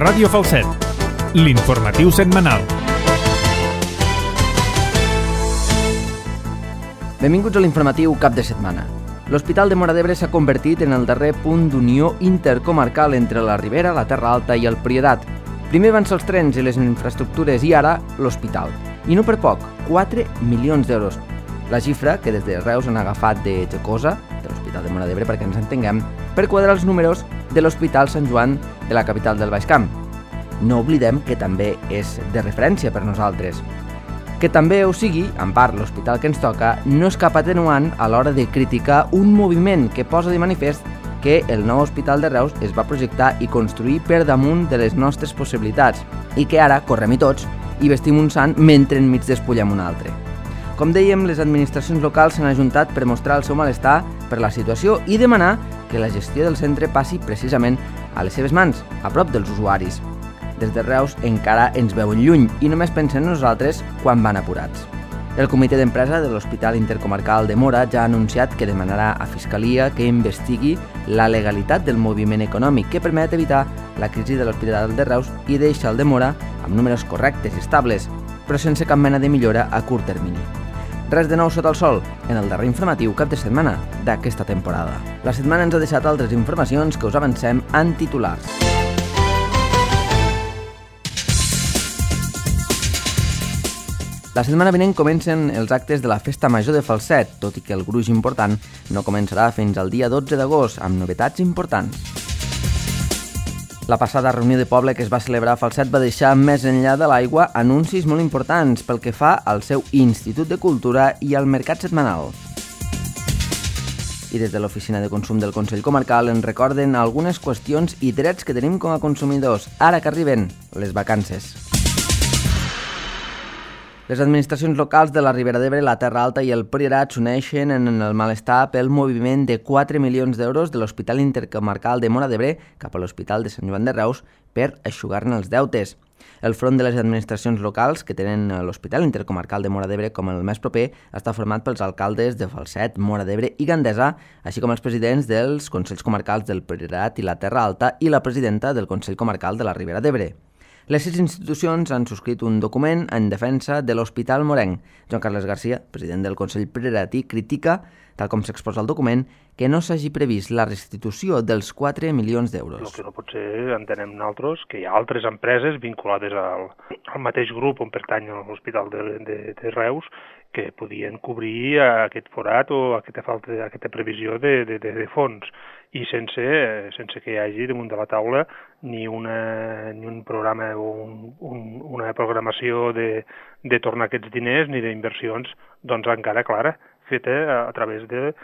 Ràdio Falset, l'informatiu setmanal. Benvinguts a l'informatiu cap de setmana. L'Hospital de Móra d'Ebre s'ha convertit en el darrer punt d'unió intercomarcal entre la Ribera, la Terra Alta i el Priorat. Primer van ser els trens i les infraestructures i ara l'hospital. I no per poc, 4 milions d'euros. La xifra que des de Reus han agafat de Jocosa, de l'Hospital de Móra d'Ebre perquè ens entenguem, per quadrar els números de l'Hospital Sant Joan de la capital del Baix Camp. No oblidem que també és de referència per nosaltres. Que també ho sigui, en part l'hospital que ens toca, no és cap atenuant a l'hora de criticar un moviment que posa de manifest que el nou hospital de Reus es va projectar i construir per damunt de les nostres possibilitats i que ara correm-hi tots i vestim un sant mentre enmig despullem un altre. Com dèiem, les administracions locals s'han ajuntat per mostrar el seu malestar per la situació i demanar que la gestió del centre passi precisament a les seves mans, a prop dels usuaris. Des de Reus encara ens veuen lluny i només pensen en nosaltres quan van apurats. El comitè d'empresa de l'Hospital Intercomarcal de Móra ja ha anunciat que demanarà a Fiscalia que investigui la legalitat del moviment econòmic que permet evitar la crisi de l'Hospital de Reus i deixar el de Móra amb números correctes i estables, però sense cap mena de millora a curt termini. Res de nou sota el sol en el darrer informatiu cap de setmana d'aquesta temporada. La setmana ens ha deixat altres informacions que us avancem en titulars. La setmana vinent comencen els actes de la Festa Major de Falset, tot i que el gruix important no començarà fins al dia 12 d'agost, amb novetats importants. La passada reunió de poble que es va celebrar a Falset va deixar més enllà de l'aigua anuncis molt importants pel que fa al seu Institut de Cultura i al mercat setmanal. I des de l'Oficina de Consum del Consell Comarcal ens recorden algunes qüestions i drets que tenim com a consumidors, ara que arriben les vacances. Les administracions locals de la Ribera d'Ebre, la Terra Alta i el Priorat s'uneixen en el malestar pel moviment de 4 milions d'euros de l'Hospital Intercomarcal de Móra d'Ebre cap a l'Hospital de Sant Joan de Reus per eixugar-ne els deutes. El front de les administracions locals, que tenen l'Hospital Intercomarcal de Móra d'Ebre com el més proper, està format pels alcaldes de Falset, Móra d'Ebre i Gandesa, així com els presidents dels Consells Comarcals del Priorat i la Terra Alta i la presidenta del Consell Comarcal de la Ribera d'Ebre. Les 6 institucions han subscrit un document en defensa de l'Hospital Morenc. Joan Carles Garcia, president del Consell Prioratí, critica, tal com s'exposa al document, que no s'hagi previst la restitució dels 4 milions d'euros. El que no pot ser, entenem nosaltres, que hi ha altres empreses vinculades al mateix grup on pertany l'Hospital de Reus que podien cobrir aquest forat o aquesta previsió de fons i sense que hi hagi damunt de la taula ni un programa o una programació de tornar aquests diners ni d'inversions doncs encara clara, feta a través dels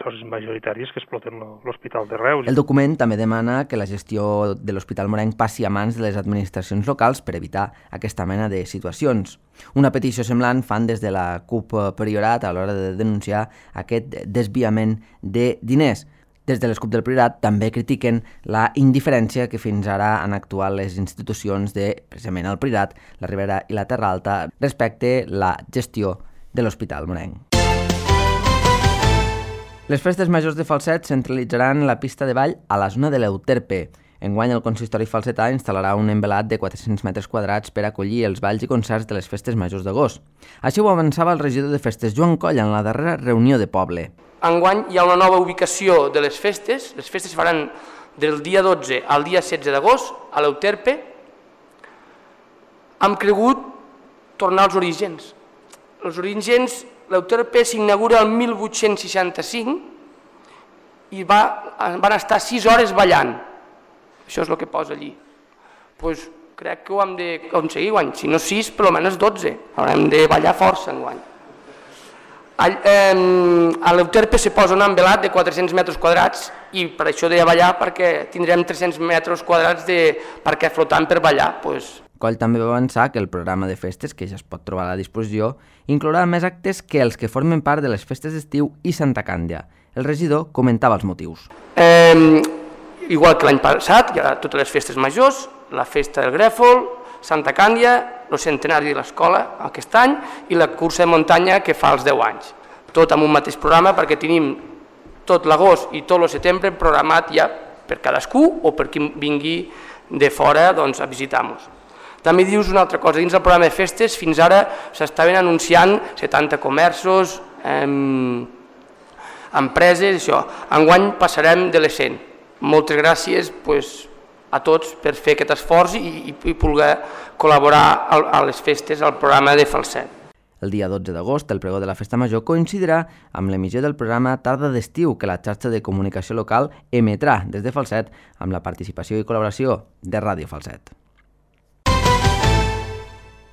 socis majoritaris que exploten l'Hospital de Reus. El document també demana que la gestió de l'Hospital Morenc passi a mans de les administracions locals per evitar aquesta mena de situacions. Una petició semblant fan des de la CUP Priorat a l'hora de denunciar aquest desviament de diners. Des de les CUP del Priorat també critiquen la indiferència que fins ara han actuat les institucions de, precisament el Priorat, la Ribera i la Terra Alta, respecte la gestió de l'Hospital Morenc. Les festes majors de Falset centralitzaran la pista de ball a la zona de l'Euterpe. Enguany el consistori falsetà instal·larà un envelat de 400 metres quadrats per acollir els balls i concerts de les festes majors d'agost. Així ho avançava el regidor de festes, Joan Coll, en la darrera reunió de poble. Enguany hi ha una nova ubicació de les festes faran del dia 12 al dia 16 d'agost a l'Euterpe. Hem cregut tornar als orígens. Els orígens, l'Euterpe s'inaugura el 1865 i van estar 6 hores ballant. Això és el que posa allí. Crec que ho hem d'aconseguir guany. Si no 6, per almenys 12. Haurem de ballar força enguany. A l'Euterpe se posa un envelat de 400 metres quadrats i per això deia ballar perquè tindrem 300 metres quadrats perquè flotant per ballar. Coll també va avançar que el programa de festes, que ja es pot trobar a la disposició, inclourà més actes que els que formen part de les festes d'estiu i Santa Càndia. El regidor comentava els motius. Igual que l'any passat, hi ha totes les festes majors, la festa del Grèfol, Santa Càndia, el centenari de l'escola aquest any i la cursa de muntanya que fa els 10 anys. Tot amb un mateix programa perquè tenim tot l'agost i tot el setembre programat ja per cadascú o per qui vingui de fora doncs, a visitar-nos. També dius una altra cosa, dins del programa de festes fins ara s'estaven anunciant 70 comerços, empreses, això. Enguany passarem de les 100. Moltes gràcies a tots per fer aquest esforç i poder col·laborar a les festes al programa de Falset. El dia 12 d'agost, el pregó de la Festa Major coincidirà amb l'emissió del programa Tarda d'Estiu, que la xarxa de comunicació local emetrà des de Falset amb la participació i col·laboració de Ràdio Falset.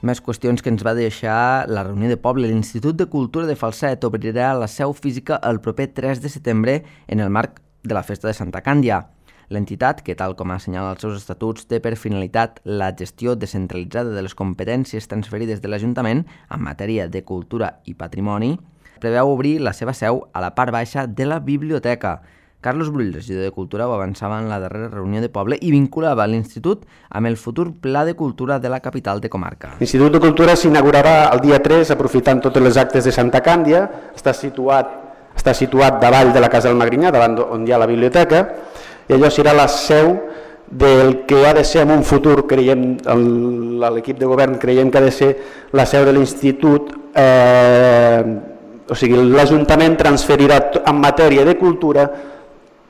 Més qüestions que ens va deixar la reunió de poble. L'Institut de Cultura de Falset obrirà la seu física el proper 3 de setembre en el marc de la Festa de Santa Càndia. L'entitat, que tal com assenyala els seus estatuts, té per finalitat la gestió descentralitzada de les competències transferides de l'Ajuntament en matèria de cultura i patrimoni, preveu obrir la seva seu a la part baixa de la biblioteca. Carlos Brull, regidor de Cultura, ho avançava en la darrera reunió de poble i vinculava l'institut amb el futur Pla de Cultura de la capital de comarca. L'Institut de Cultura s'inaugurarà el dia 3 aprofitant totes les actes de Santa Càndia. Està situat davall de la Casa del Magrinyà, davant on hi ha la biblioteca, i allò serà la seu del que ha de ser en un futur, creiem, l'equip de govern creiem que ha de ser la seu de l'Institut. O sigui, l'Ajuntament transferirà en matèria de cultura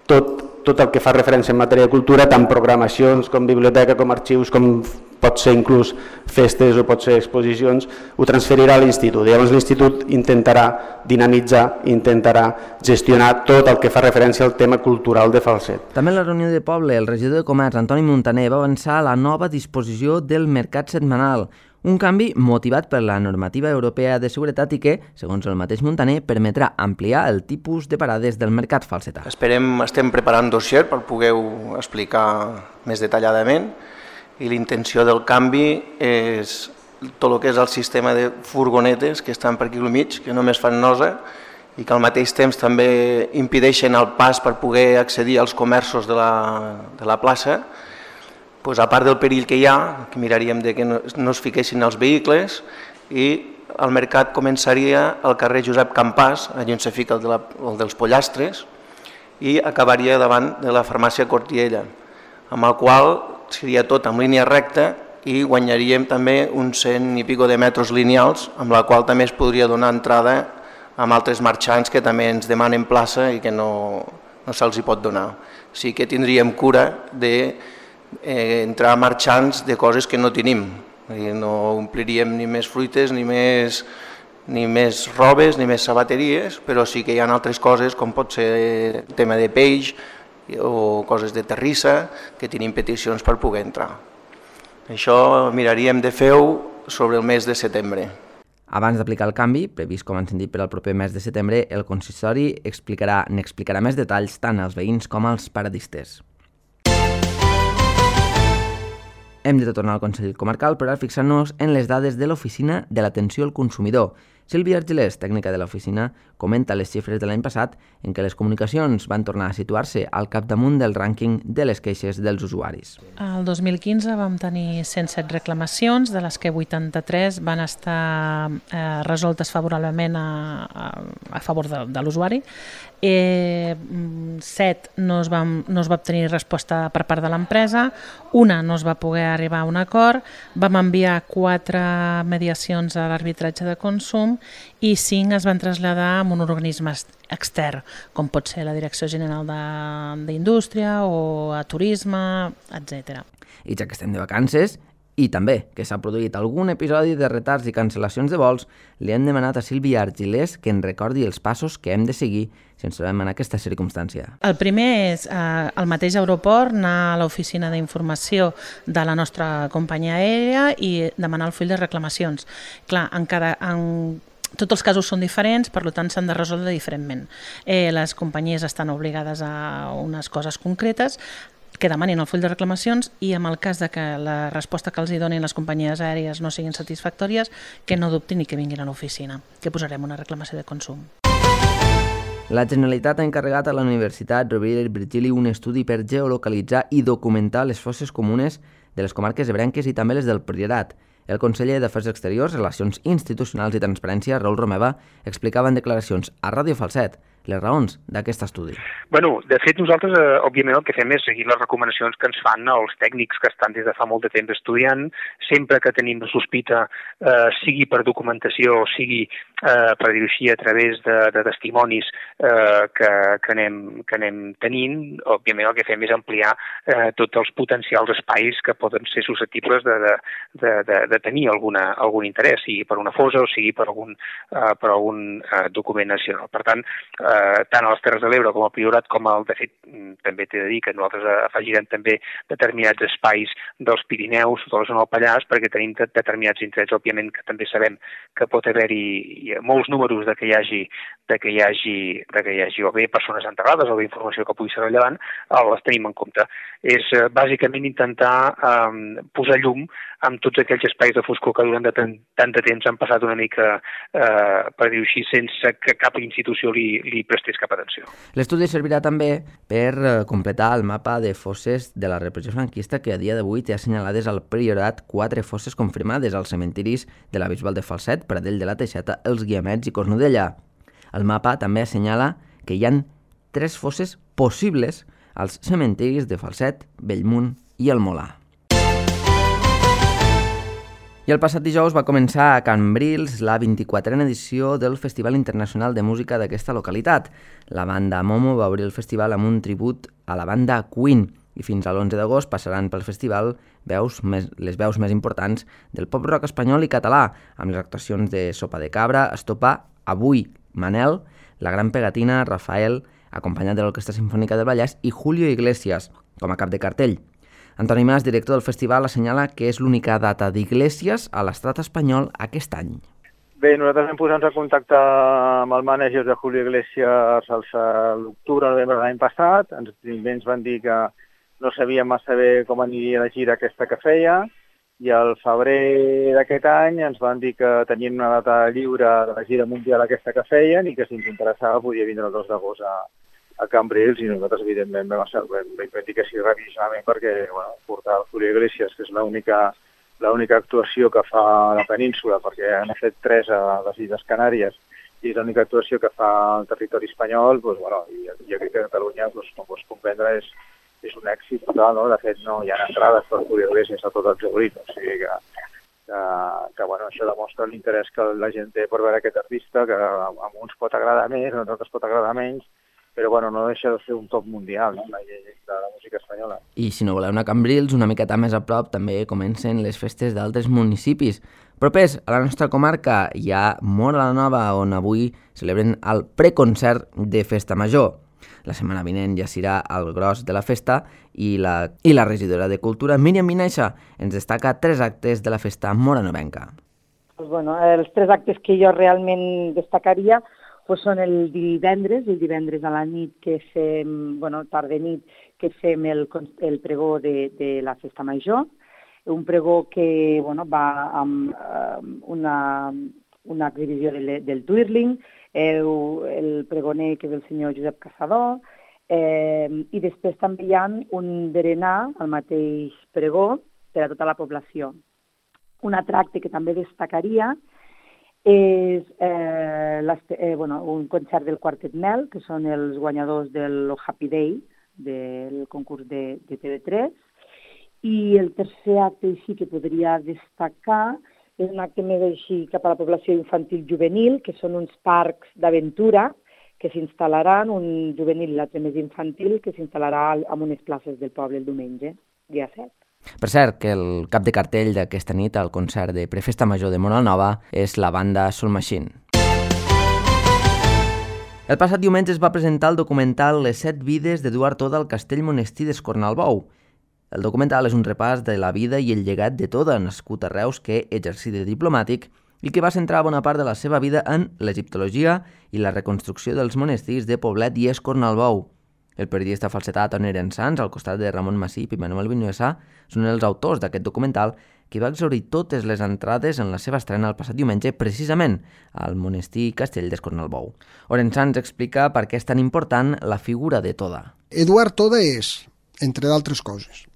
tot el que fa referència en matèria de cultura, tant programacions com biblioteca, com arxius, com pot ser inclús festes o pot ser exposicions, ho transferirà a l'Institut. Llavors l'Institut intentarà dinamitzar, intentarà gestionar tot el que fa referència al tema cultural de Falset. També en la reunió de poble, el regidor de Comerç, Antoni Montaner, va avançar la nova disposició del mercat setmanal, un canvi motivat per la normativa europea de seguretat i que, segons el mateix Montaner, permetrà ampliar el tipus de parades del mercat falsetà. Estem preparant dossier per poder-ho explicar més detalladament i la intenció del canvi és tot el que és el sistema de furgonetes que estan per aquí al mig, que només fan nosa i que al mateix temps també impedeixen el pas per poder accedir als comerços de la plaça. A part del perill que hi ha, que miraríem que no es fiquessin els vehicles, i el mercat començaria al carrer Josep Campàs, allà on se fica el dels pollastres, i acabaria davant de la farmàcia Cortiella, amb el qual seria tot en línia recta i guanyaríem també uns 100 i pico de metres lineals, amb la qual també es podria donar entrada amb altres marxants que també ens demanen plaça i que no se'ls hi pot donar. Sí que tindríem cura d'entrar marxants de coses que no tenim. No ompliríem ni més fruites, ni més robes, ni més sabateries, però sí que hi ha altres coses com pot ser el tema de peix o coses de terrissa que tenim peticions per poder entrar. Això miraríem de fer-ho sobre el mes de setembre. Abans d'aplicar el canvi, previst com han sentit per al proper mes de setembre, el consistori n'explicarà més detalls tant als veïns com als paradistes. Hem de tornar al Consell Comarcal per ara fixar-nos en les dades de l'Oficina de l'Atenció al Consumidor. Sílvia Argelers, tècnica de l'oficina, comenta les xifres de l'any passat en què les comunicacions van tornar a situar-se al capdamunt del rànquing de les queixes dels usuaris. El 2015 vam tenir 107 reclamacions, de les que 83 van estar resoltes favorablement a favor de l'usuari. 7 no es va obtenir resposta per part de l'empresa, una no es va poder arribar a un acord, vam enviar 4 mediacions a l'arbitratge de consum i 5 es van traslladar a un organisme extern, com pot ser la Direcció General d'Indústria o a Turisme, etc. I ja que estem de vacances, i també que s'ha produït algun episodi de retards i cancel·lacions de vols, li hem demanat a Sílvia Argelers que ens recordi els passos que hem de seguir si ens trobem en aquesta circumstància. El primer és al mateix aeroport anar a l'oficina d'informació de la nostra companyia aèria i demanar el full de reclamacions. Clar, tots els casos són diferents, per tant s'han de resoldre diferentment. Les companyies estan obligades a unes coses concretes, que demanin el full de reclamacions i en el cas de que la resposta que els hi donin les companyies aèries no siguin satisfactòries, que no dubtin i que vinguin a l'oficina, que posarem una reclamació de consum. La Generalitat ha encarregat a la Universitat Rovira i Virgili un estudi per geolocalitzar i documentar les fosses comunes de les comarques ebrenques i també les del Priorat. El conseller d'Afers Exteriors, Relacions Institucionals i Transparència, Raül Romeva, explicava en declaracions a Ràdio Falset les raons d'aquest estudi. Bueno, de fet, nosaltres, òbviament, el que fem és seguir les recomanacions que ens fan els tècnics que estan des de fa molt de temps estudiant. Sempre que tenim la sospita, sigui per documentació o sigui, per dir-ho així, a través de testimonis que anem tenint, òbviament el que fem és ampliar tots els potencials espais que poden ser susceptibles de tenir algun interès, sigui per una fossa o sigui per algun document nacional. Per tant, tant a les Terres de l'Ebre com al Priorat, de fet, també t'he de dir que nosaltres afegirem també determinats espais dels Pirineus, de la zona del Pallars, perquè tenim determinats indrets, òbviament, que també sabem que pot haver-hi molts números de que hi hagi o bé persones enterrades o bé informació que pugui ser rellevant, les tenim en compte. És bàsicament intentar posar llum amb tots aquells espais de foscor que durant tant de temps han passat una mica, per dir-ho així, sense que cap institució li prestés cap atenció. L'estudi servirà també per completar el mapa de fosses de la repressió franquista que a dia d'avui té assenyalades al Priorat 4 fosses confirmades als cementiris de la Bisbal de Falset, Pradell de la Teixeta, Els Guiamets i Cornudella. El mapa també assenyala que hi ha 3 fosses possibles als cementiris de Falset, Bellmunt i el Molar. I el passat dijous va començar a Cambrils la 24a edició del Festival Internacional de Música d'aquesta localitat. La banda Momo va obrir el festival amb un tribut a la banda Queen i fins a l'11 d'agost passaran pel festival les veus més importants del pop-rock espanyol i català, amb les actuacions de Sopa de Cabra, Estopa, Avui, Manel, La Gran Pegatina, Rafael, acompanyat de l'Orquestra Simfònica del Vallès i Julio Iglesias, com a cap de cartell. Antoni Mas, director del festival, assenyala que és l'única data d'Iglesias a l'estat espanyol aquest any. Bé, nosaltres vam posar-nos en contacte amb el mànager de Julio Iglesias a l'octubre, novembre de l'any passat. Ens van dir que no sabíem massa bé com aniria la gira aquesta que feia, i al febrer d'aquest any ens van dir que tenien una data lliure de la gira mundial aquesta que feien i que si ens interessava podia vindre el 2 d'agost a Cambrils, i nosaltres evidentment vam dir que sí rapidíssimament perquè portar el Julio Iglesias, que és l'única actuació que fa a la península, perquè han fet 3 a les Illes Canàries i és l'única actuació que fa al territori espanyol, i aquí a Catalunya, com pots comprendre, és un èxit total, no? De fet, no hi ha entrades per Julio Iglesias a tot el Georit, o sigui que això demostra l'interès que la gent té per veure aquest artista, que a uns pot agradar més, a altres pot agradar menys, però no deixa de ser un top mundial, no? De la música espanyola. I si no voleu anar a Cambrils, una miqueta més a prop, també comencen les festes d'altres municipis. Propers a la nostra comarca hi ha Móra la Nova, on avui celebren el preconcert de Festa Major. La setmana vinent ja serà el gros de la festa i la regidora de Cultura, Míriam Vinaixa, ens destaca 3 actes de la festa moranovenca. Els 3 actes que jo realment destacaria són el divendres a la nit que fem, tarda nit, que fem el pregó de la Festa Major, un pregó que va amb una exhibició del Twirling, el pregoner que és el senyor Josep Caçador, i després també hi ha un berenar al mateix pregó per a tota la població. Un altre acte que també destacaria és un concert del Quartet Mel, que són els guanyadors del Happy Day, del concurs de TV3. I el tercer acte així que podria destacar és un acte més així cap a la població infantil juvenil, que són uns parcs d'aventura que s'instal·laran, un juvenil i l'altre més infantil, que s'instal·larà en unes places del poble el diumenge, dia 7. Per cert, que el cap de cartell d'aquesta nit al concert de Prefesta Major de Móra la Nova és la banda Soul Machine. El passat diumenge es va presentar el documental Les 7 vides d'Eduard Toda al Castell Monestir d'Escornalbou. El documental és un repàs de la vida i el llegat de Toda, nascut a Reus, que exercí de diplomàtic i que va centrar bona part de la seva vida en l'egiptologia i la reconstrucció dels monestirs de Poblet i Escornalbou. El periodista falsetà Toni Erensans, al costat de Ramon Massip i Manuel Vinuesa, són els autors d'aquest documental que va exhaurir totes les entrades en la seva estrena el passat diumenge, precisament al monestir Castell d'Escornalbou. Erensans explica per què és tan important la figura de Toda. Eduard Toda és, entre d'altres coses,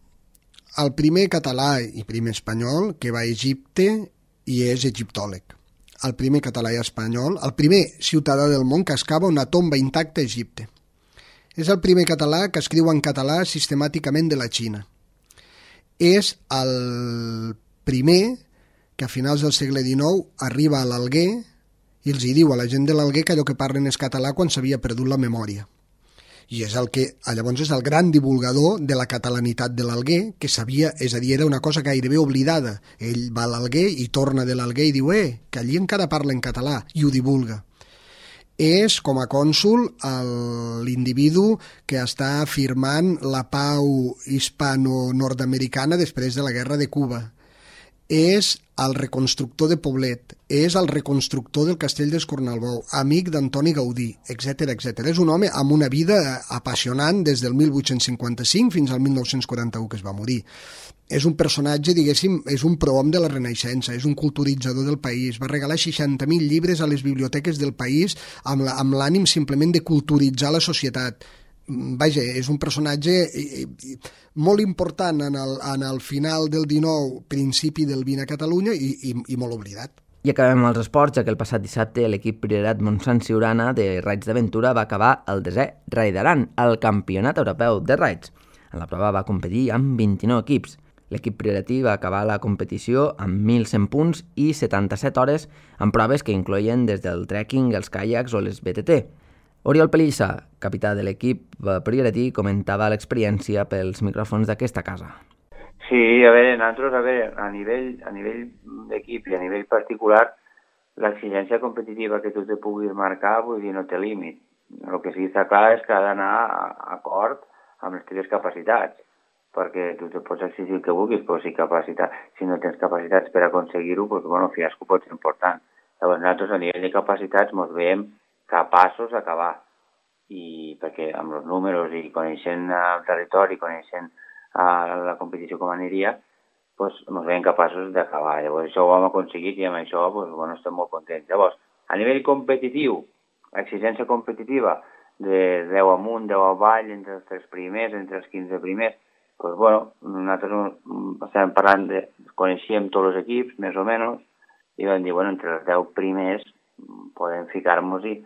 el primer català i primer espanyol que va a Egipte i és egiptòleg. el primer català i espanyol, el primer ciutadà del món que excava una tomba intacta a Egipte. És el primer català que escriu en català sistemàticament de la Xina. És el primer que a finals del segle XIX arriba a l'Alguer i els hi diu a la gent de l'Alguer que allò que parlen és català quan s'havia perdut la memòria. I és llavors és el gran divulgador de la catalanitat de l'Alguer, que sabia, és a dir, era una cosa gairebé oblidada. Ell va a l'Alguer i torna de l'Alguer i diu que allí encara parla en català, i ho divulga. És, com a cònsol, l'individu que està firmant la pau hispano-nord-americana després de la guerra de Cuba. És el reconstructor de Poblet, és el reconstructor del castell d'Escornalbou, amic d'Antoni Gaudí, etc. És un home amb una vida apassionant des del 1855 fins al 1941, que es va morir. És un personatge, diguéssim, és un prohom de la Renaixença, és un culturitzador del país, va regalar 60.000 llibres a les biblioteques del país amb l'ànim simplement de culturitzar la societat. Vaja, és un personatge molt important en el final del XIX, principi del XX a Catalunya i molt oblidat. I acabem els esports, ja que el passat dissabte l'equip Priorat Montsant Siurana de raids d'aventura va acabar el 10è Raidaran, el campionat europeu de raids. En la prova va competir amb 29 equips. L'equip prioratí va acabar la competició amb 1.100 punts i 77 hores en proves que incloïen des del trekking, els caiacs o les BTT. Oriol Pellissa, capità de l'equip prioratí, comentava l'experiència pels micròfons d'aquesta casa. Sí, a nivell d'equip i a nivell particular, l'exigència competitiva que tu te puguis marcar, vull dir, no té límit. El que sí que està clar és que ha d'anar acord amb les teves capacitats, perquè tu te pots exigir el que vulguis, però si no tens capacitats per aconseguir-ho, doncs, fiasco pot ser important. Llavors, nosaltres a nivell de capacitats ens veiem capaços d'acabar, i perquè amb els números i coneixent el territori, coneixent la competició com aniria, ens veiem capaços d'acabar. Llavors això ho hem aconseguit i amb això estem molt contents. Llavors, a nivell competitiu, exigència competitiva de 10 amunt, 10 avall, entre els 3 primers, entre els 15 primers, nosaltres estem parlant coneixíem tots els equips, més o menys, i vam dir, entre els 10 primers podem ficar-nos-hi,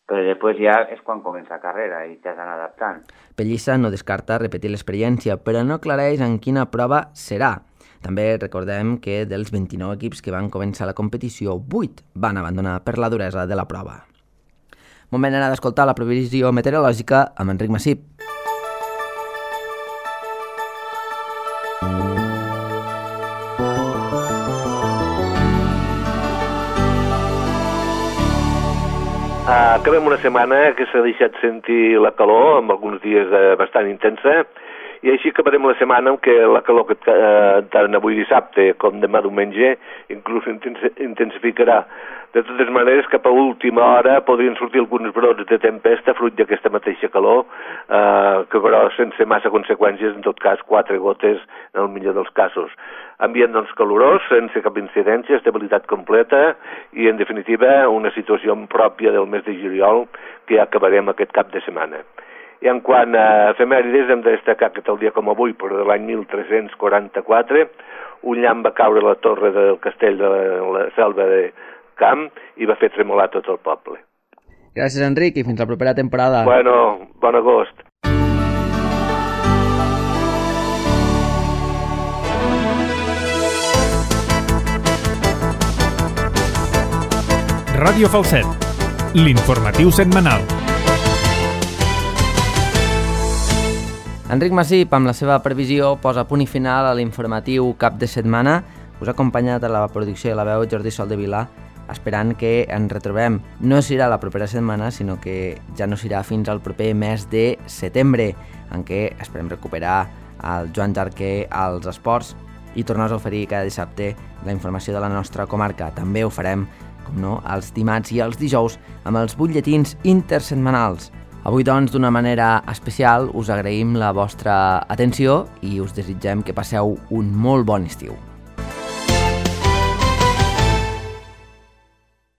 però després ja és quan comença la carrera i t'has d'anar adaptant. Pellissa no descarta repetir l'experiència, però no aclareix en quina prova serà. També recordem que dels 29 equips que van començar la competició, 8 van abandonar per la duresa de la prova. Moment d'anar d'escoltar la previsió meteorològica amb Enric Massip. Acabem una setmana que s'ha deixat sentir la calor, amb alguns dies bastant intensa, i així acabarem la setmana amb què la calor que tant avui dissabte com demà diumenge inclús intensificarà. De totes maneres, cap a última hora podrien sortir alguns brots de tempesta fruit d'aquesta mateixa calor, que però sense massa conseqüències, en tot cas 4 gotes en el millor dels casos. Ambient calorós, sense cap incidència, estabilitat completa i, en definitiva, una situació pròpia del mes de juliol que ja acabarem aquest cap de setmana. I en quant a efemèrides, hem de destacar que tal dia com avui, però de l'any 1344, un llamp va caure a la torre del castell de la Selva de Camp i va fer tremolar tot el poble. Gràcies, Enric, i fins la propera temporada. Bueno, bon agost. Ràdio Falset, l'informatiu setmanal. Enric Massip, amb la seva previsió, posa punt i final a l'informatiu cap de setmana. Us ha acompanyat a la producció de la veu Jordi Sol de Vilà, esperant que ens retrobem. No serà la propera setmana, sinó que ja no serà fins al proper mes de setembre, en què esperem recuperar el Joan Jarquer als esports i tornar a oferir cada dissabte la informació de la nostra comarca. També ho farem, com no, els dimarts i els dijous amb els butlletins intersetmanals. Avui, doncs, d'una manera especial, us agraïm la vostra atenció i us desitgem que passeu un molt bon estiu.